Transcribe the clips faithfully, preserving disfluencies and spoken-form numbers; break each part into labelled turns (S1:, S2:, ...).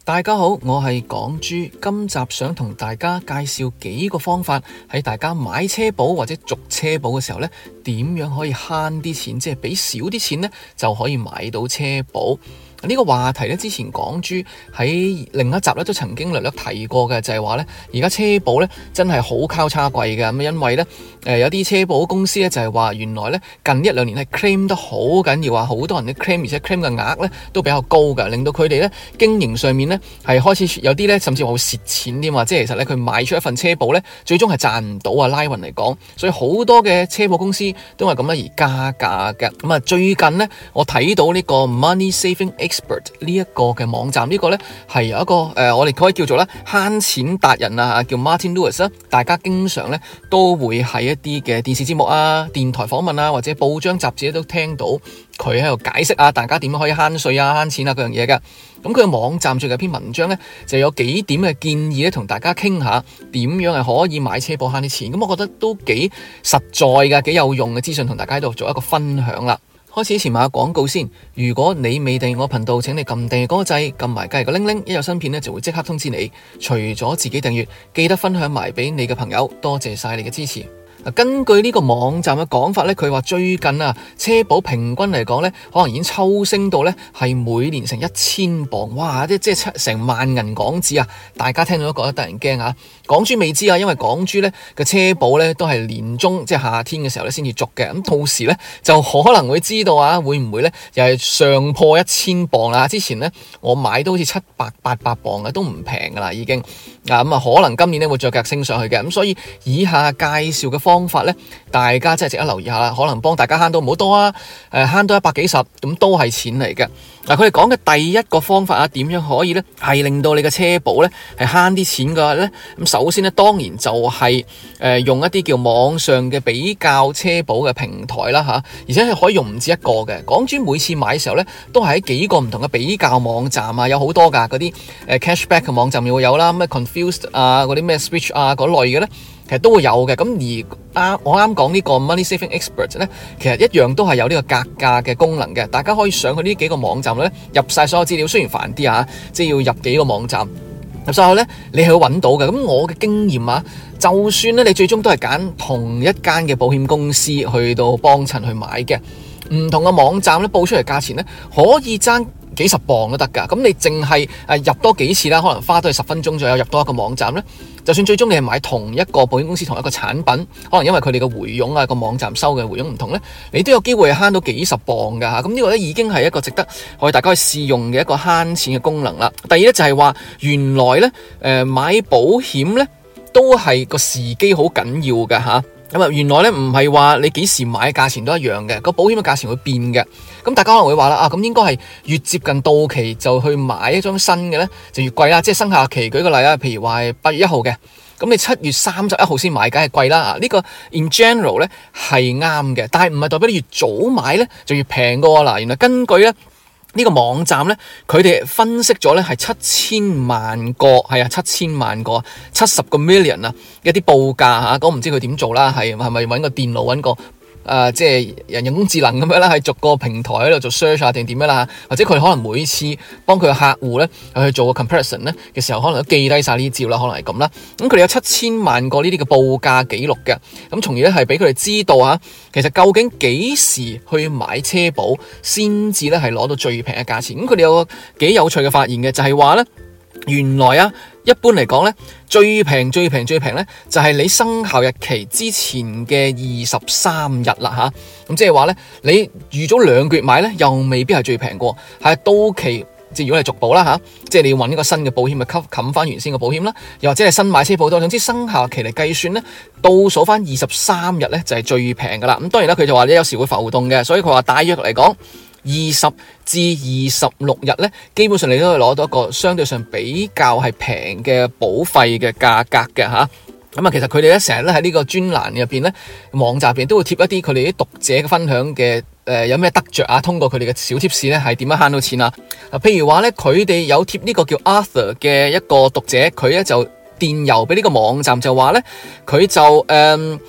S1: 大家好，我係港豬，今集想同大家介紹幾個方法，喺大家買車保或者續車保嘅時候呢，點樣可以慳啲錢，即係俾少啲錢呢，就可以買到車保。呢個話題咧，之前港豬喺另一集咧都曾經略略提過嘅，就係話咧，而家車保咧真係好交叉貴嘅。咁因為咧，誒有啲車保公司咧就係話，原來咧近一兩年係 claim 得好緊要，話好多人嘅 claim，而且 claim 嘅額咧都比較高嘅，令到佢哋咧經營上面咧係開始有啲咧甚至話會蝕錢添嘛。即係其實咧佢賣出一份車保咧，最終係賺唔到啊，拉勻嚟講。所以好多嘅車保公司都係咁樣而加價嘅。咁啊，最近咧我睇到呢個 Money Saving Expert 呢一個嘅網站，呢、這個呢係有一個誒、呃，我哋可以叫做咧慳錢達人啊，叫 Martin Lewis 啦。大家經常呢都會喺一啲嘅電視節目啊、電台訪問啊，或者報章雜誌都聽到佢喺度解釋啊，大家點樣可以慳稅啊、慳錢啊嗰樣嘢嘅。咁佢嘅網站最近一篇文章呢，就有幾點嘅建議咧，同大家傾下點樣係可以買車保慳啲錢。咁我覺得都幾實在嘅，幾有用嘅資訊，同大家喺度做一個分享啦。開始之前買下廣告先，如果你未訂閱我頻道，請你撳訂閱嗰個掣，撳埋隔籬個鈴鈴，一有新片呢就會即刻通知你。除咗自己訂閱，記得分享埋俾你嘅朋友，多謝晒你嘅支持。根據呢個網站嘅講法呢，佢話最近啊，車保平均嚟講呢，可能已經抽升到呢係每年成一千磅，哇！即即係成萬銀港紙啊！大家聽到都覺得得人驚啊！港豬未知啊，因為港豬呢嘅車保呢都係年中即係夏天嘅時候呢先至續嘅，咁到時呢就可能會知道啊，會唔會呢又係上破一千磅啦？之前呢我買都好似七百八百磅嘅，都唔平噶啦已經啊，咁啊可能今年呢會再繼續升上去嘅，咁所以以下介紹嘅方法呢，大家真係值得留意下啦，可能幫大家慳到唔好多啊，誒慳到一百幾十，咁都係錢嚟嘅。嗱，佢哋講嘅第一個方法啊，點樣可以呢係令到你嘅車保呢係慳啲錢嘅呢？咁首先呢，當然就係誒用一啲叫網上嘅比較車保嘅平台啦吓，而且係可以用唔止一個嘅。港豬每次買嘅時候呢，都係喺幾個唔同嘅比較網站啊，有好多噶，嗰啲誒 cashback 嘅網站又會有啦，咩 confused 啊，嗰啲咩 switch 啊嗰類嘅呢，其實都會有嘅。咁而啱我啱講呢個 Money Saving Expert 呢，其實一樣都係有呢個格價嘅功能嘅。大家可以上去呢幾個網站咧，入晒所有資料，雖然煩啲啊，即係要入幾個網站入晒去咧，你係會揾到嘅。咁我嘅經驗啊，就算咧你最終都係揀同一間嘅保險公司去到幫襯去買嘅，唔同嘅網站咧報出嚟價錢咧可以爭幾十磅都得㗎。咁你淨係誒入多幾次啦，可能花多十分鐘左右入多一個網站咧。就算最終你係買同一個保險公司同一個產品，可能因為佢哋嘅回佣啊，個網站收嘅回佣唔同呢，你都有機會係慳到幾十磅㗎嚇。咁呢個呢已經係一個值得我哋大家去試用嘅一個慳錢嘅功能啦。第二呢，就係話原來呢誒買保險呢都係個時機好緊要㗎嚇。咁啊，原來咧唔係話你幾時買價錢都一樣嘅，個保險嘅價錢會變嘅。咁大家可能會話啦，啊咁應該係越接近到期就去買一張新嘅咧，就越貴啦。即係生效期，舉個例啦，譬如話係八月一號嘅，咁你七月三十一號先買，梗係貴啦。呢個 in general 咧係啱嘅，但係唔係代表你越早買咧就越平㗎喎。嗱，原來根據咧。呢個網站呢，佢哋分析咗呢係七千萬個，係啊七千萬個，七十個 million 啊，一啲報價嚇，咁唔知佢點做啦，係係咪揾個電腦揾個？誒、呃，即係人人工智能咁樣啦，喺逐個平台喺度做 search 啊，定點樣啦？或者佢可能每次幫佢嘅客戶咧去做個 comparison 咧嘅時候，可能都記低晒呢啲資料啦，可能係咁啦。咁佢哋有七千萬個呢啲嘅報價記錄嘅，咁從而咧係俾佢哋知道啊，其實究竟幾時去買車保先至咧係攞到最平嘅價錢。咁佢哋有個幾有趣嘅發現嘅，就係話咧，原來啊，一般嚟講咧，最平最平最平咧，就係你生效日期之前嘅二十三日啦吓。咁即係話咧，你預早兩個月買咧，又未必係最平過，係到期。即係如果你續保啦吓，即係你要揾一個新嘅保險去冚冚翻原先嘅保險啦，又或者係新買車保都，總之生效期嚟計算咧，倒數翻二十三日咧就係最平噶啦。咁當然啦，佢就話咧有時會浮動嘅，所以佢話大約嚟講二十至二十六日咧，基本上你都可以攞到一個相對上比較係平嘅保費嘅價格嘅吓。咁啊，其實佢哋咧成日咧喺呢個專欄入邊咧，網站入邊都會貼一啲佢哋啲讀者嘅分享嘅誒、呃，有咩得着啊？通過佢哋嘅小貼士咧，係點樣慳到錢啊？啊，譬如話咧，佢哋有貼呢個叫 Arthur 嘅一個讀者，佢咧就電郵俾呢個網站就話咧，佢就誒。呃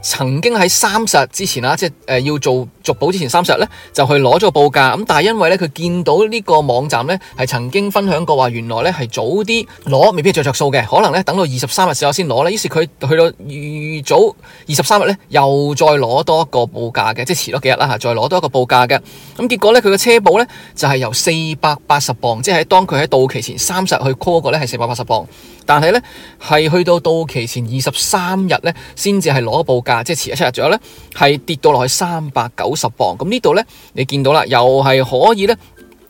S1: 曾經喺三十日之前啊，即係誒要做續保之前三十日咧，就去攞咗個報價。咁但係因為咧佢見到呢個網站咧係曾經分享過話，原來咧係早啲攞未必着着數嘅，可能咧等到二十三日之後先攞咧。於是佢去到預早二十三日咧，又再攞多一個報價嘅，即係遲咗幾日啦嚇，再攞多一個報價嘅。咁結果咧佢嘅車保咧就係由四百八十磅，即係當佢喺到期前三十日去 call 過咧係四百八十磅，但係咧係去到到期前二十三日咧先至係攞報價。即係遲咗七日左右咧，係跌到落去三百九十磅。咁呢度咧，你見到啦，又係可以咧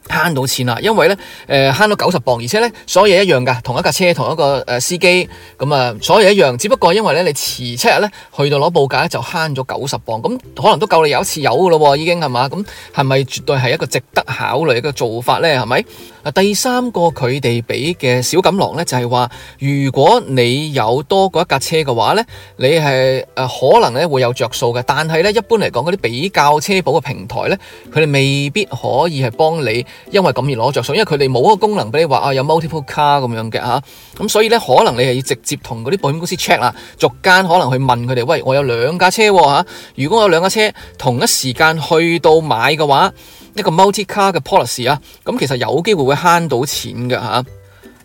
S1: 慳到錢啦。因為咧，誒慳到九十磅，而且咧所有嘢一樣噶，同一架車，同一個誒司機，咁啊，所有嘢一樣。只不過因為咧，你遲七日咧去到攞報價咧，就慳咗九十磅。咁可能都夠你有一次油噶咯，已經係嘛？咁係咪絕對係一個值得考慮嘅做法咧？係咪？第三個佢哋俾嘅小錦囊咧，就係話，如果你有多過一架車嘅話咧，你係誒可能咧會有着數嘅。但係咧，一般嚟講嗰啲比較車保嘅平台咧，佢哋未必可以係幫你，因為咁而攞着數，因為佢哋冇一個功能俾你話啊有 multiple car 咁樣嘅吓。咁所以咧，可能你係要直接同嗰啲保險公司 check 啦，逐間可能去問佢哋，喂，我有兩架車吓，如果我有兩架車同一時間去到買嘅話，一個 multi car 嘅 policy 啊，咁其實有機會會慳到錢嘅吓。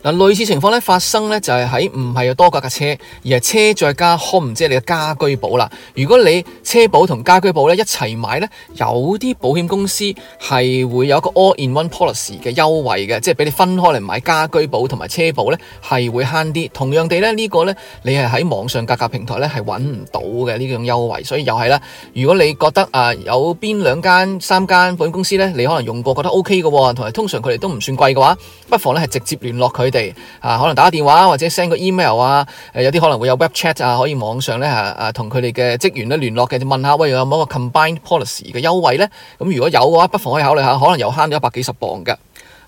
S1: 嗱，類似情況咧發生咧就係喺唔係有多架架車，而係車再加 home， 即係你嘅家居保啦。如果你車保同家居保咧一齊買咧，有啲保險公司係會有一個 all in one policy 嘅優惠嘅，即係俾你分開嚟買家居保同埋車保咧係會慳啲。同樣地咧呢個咧你係喺網上價格平台咧係揾唔到嘅呢種優惠，所以又係啦。如果你覺得啊有邊兩間三間保險公司咧你可能用過覺得 OK 嘅，同埋通常佢哋都唔算貴嘅話，不妨咧係直接聯絡佢哋。啊，可能打個電話或者 send 個 email 啊，誒有啲可能會有 web chat 啊，可以網上咧啊啊同佢哋嘅職員咧聯絡嘅，就問下喂有冇一個 combined policy 嘅優惠咧？咁如果有嘅話，不妨可以考慮下，可能又慳咗一百幾十磅嘅。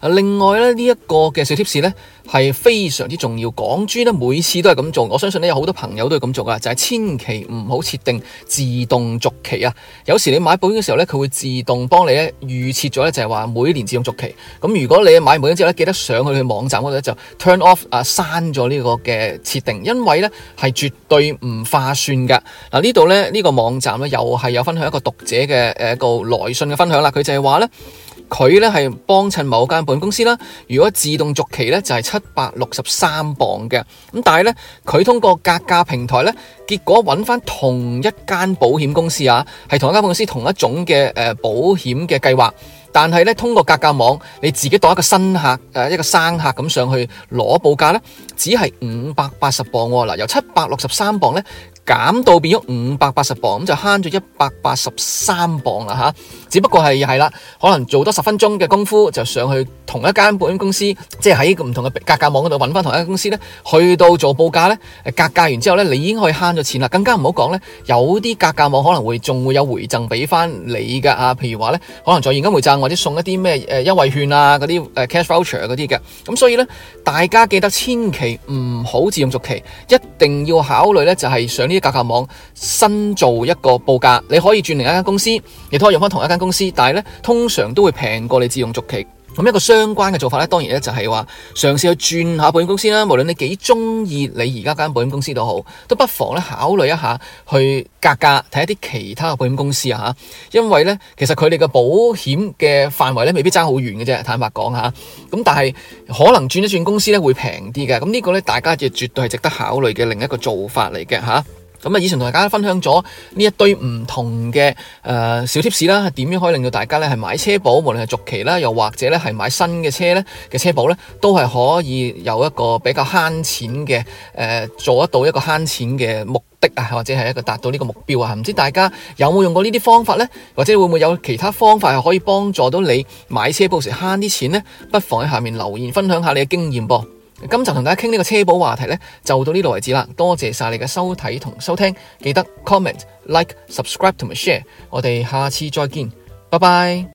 S1: 另外咧呢一個嘅小貼士咧係非常之重要，港豬咧每次都係咁做，我相信咧有好多朋友都係咁做噶，就係千祈唔好設定自動續期啊！有時你買保險嘅時候咧，佢會自動幫你咧預設咗咧，就係話每年自動續期。咁如果你買保險之後咧，記得上去去網站嗰度咧就 turn off 啊刪咗呢個嘅設定，因為咧係絕對唔划算噶。嗱呢度咧呢個網站咧又係有分享一個讀者嘅誒一個來信嘅分享啦，佢就係話咧。佢咧係幫襯某間保險公司啦，如果自動續期咧就係七百六十三磅嘅，咁但係咧佢通過格價平台咧，結果揾翻同一間保險公司啊，係同一間保險公司同一種嘅誒保險嘅計劃，但係咧通過格價網，你自己當一個新客誒一個生客咁上去攞報價咧，只係五百八十磅喎，嗱由七百六十三磅咧。減到變咗五百八十磅，咁就慳咗一百八十三磅啦吓。只不過係係啦，可能做多十分鐘嘅功夫就上去同一間保險公司，即係喺唔同嘅格價網嗰度揾翻同一間公司咧，去到做報價咧，格價完之後咧，你已經可以慳咗錢啦。更加唔好講咧，有啲格價網可能會仲會有回贈俾翻你噶啊，譬如話咧，可能在現金回贈或者送一啲咩誒優惠券啊，嗰啲誒 cash voucher 嗰啲嘅。咁所以咧，大家記得千祈唔好自動續期，一定要考慮咧就係上呢。格價網新做一個報價，你可以轉另一間公司，亦都可以用翻同一間公司，但係咧通常都會平過你自動續期。咁一個相關嘅做法咧，當然咧就係話嘗試去轉下保險公司啦。無論你幾中意你而家間保險公司都好，都不妨咧考慮一下去格價睇一啲其他嘅保險公司啊吓。因為咧其實佢哋嘅保險嘅範圍咧未必爭好遠嘅啫，坦白講吓。咁但係可能轉一轉公司咧會平啲嘅。咁呢個咧大家就絕對係值得考慮嘅另一個做法嚟嘅吓。咁啊，以前同大家分享咗呢一堆唔同嘅誒、呃、小貼士啦，點樣可以令到大家咧係買車保，無論係續期啦，又或者咧係買新嘅車咧嘅車保咧，都係可以有一個比較慳錢嘅誒、呃，做得到一個慳錢嘅目的啊，或者係一個達到呢個目標啊。唔知大家有冇用過呢啲方法咧，或者會唔會有其他方法係可以幫助到你買車保時慳啲錢咧？不妨喺下面留言分享下你嘅經驗噃。今集同大家傾呢個車保話題呢，就到呢度為止啦。多謝晒你嘅收睇同收聽，記得 comment、like、subscribe 同埋 share。我哋下次再見，拜拜。